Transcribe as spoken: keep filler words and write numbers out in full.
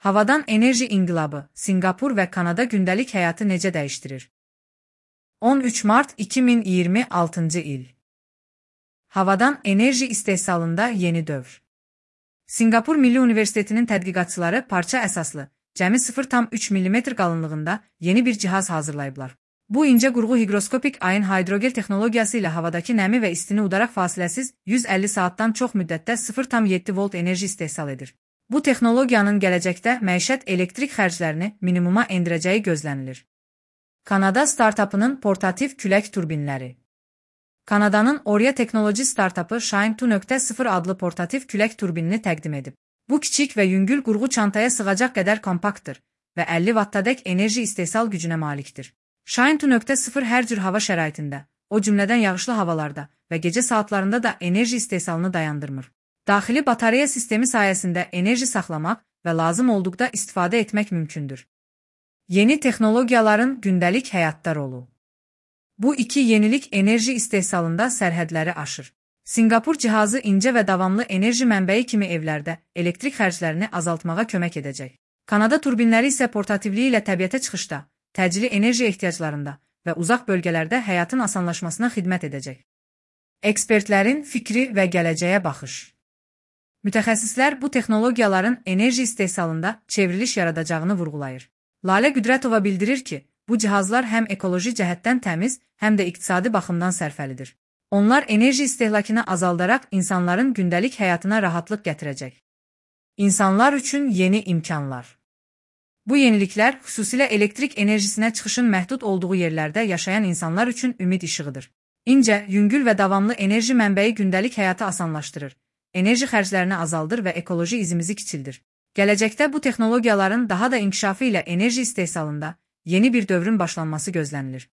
Havadan enerji inqilabı, Sinqapur və Kanada gündəlik həyatı necə dəyişdirir? on üç mart iki min iyirmi altıncı il. Havadan enerji istehsalında yeni dövr. Sinqapur Milli Universitetinin tədqiqatçıları parça əsaslı, cəmi sıfır tam üç millimetr qalınlığında yeni bir cihaz hazırlayıblar. Bu incə qurğu higroskopik ayın hidrogel texnologiyası ilə havadakı nəmi və istini udaraq fasiləsiz yüz əlli saatdan çox müddətdə sıfır tam yeddi volt enerji istehsal edir. Bu texnologiyanın gələcəkdə məişət elektrik xərclərini minimuma endirəcəyi gözlənilir. Kanada startapının portativ külək turbinləri. Kanadanın Oria Technology startapı Shine iki nöqtə sıfır adlı portativ külək turbinini təqdim edib. Bu kiçik və yüngül qurğu çantaya sığacaq qədər kompaktdır və əlli wattadək enerji istehsal gücünə malikdir. Shine iki nöqtə sıfır hər cür hava şəraitində, o cümlədən yağışlı havalarda və gecə saatlarında da enerji istehsalını dayandırmır. Daxili batareya sistemi sayəsində enerji saxlamaq və lazım olduqda istifadə etmək mümkündür. Yeni texnologiyaların gündəlik həyatda rolu. Bu iki yenilik enerji istehsalında sərhədləri aşır. Sinqapur cihazı incə və davamlı enerji mənbəyi kimi evlərdə elektrik xərclərini azaltmağa kömək edəcək. Kanada turbinləri isə portativliyi ilə təbiətə çıxışda, təcili enerji ehtiyaclarında və uzaq bölgələrdə həyatın asanlaşmasına xidmət edəcək. Ekspertlərin fikri və gələcəyə baxış. Mütəxəssislər bu texnologiyaların enerji istehsalında çevriliş yaradacağını vurğulayır. Lalə Qüdrətova bildirir ki, bu cihazlar həm ekoloji cəhətdən təmiz, həm də iqtisadi baxımdan sərfəlidir. Onlar enerji istehlakını azaldaraq insanların gündəlik həyatına rahatlıq gətirəcək. İnsanlar üçün yeni imkanlar. Bu yeniliklər xüsusilə elektrik enerjisinə çıxışın məhdud olduğu yerlərdə yaşayan insanlar üçün ümid işığıdır. İncə, yüngül və davamlı enerji mənbəyi gündəlik həyatı asanlaşdırır, enerji xərclərini azaldır və ekoloji izimizi kiçildir. Gələcəkdə bu texnologiyaların daha da inkişafı ilə enerji istehsalında yeni bir dövrün başlanması gözlənilir.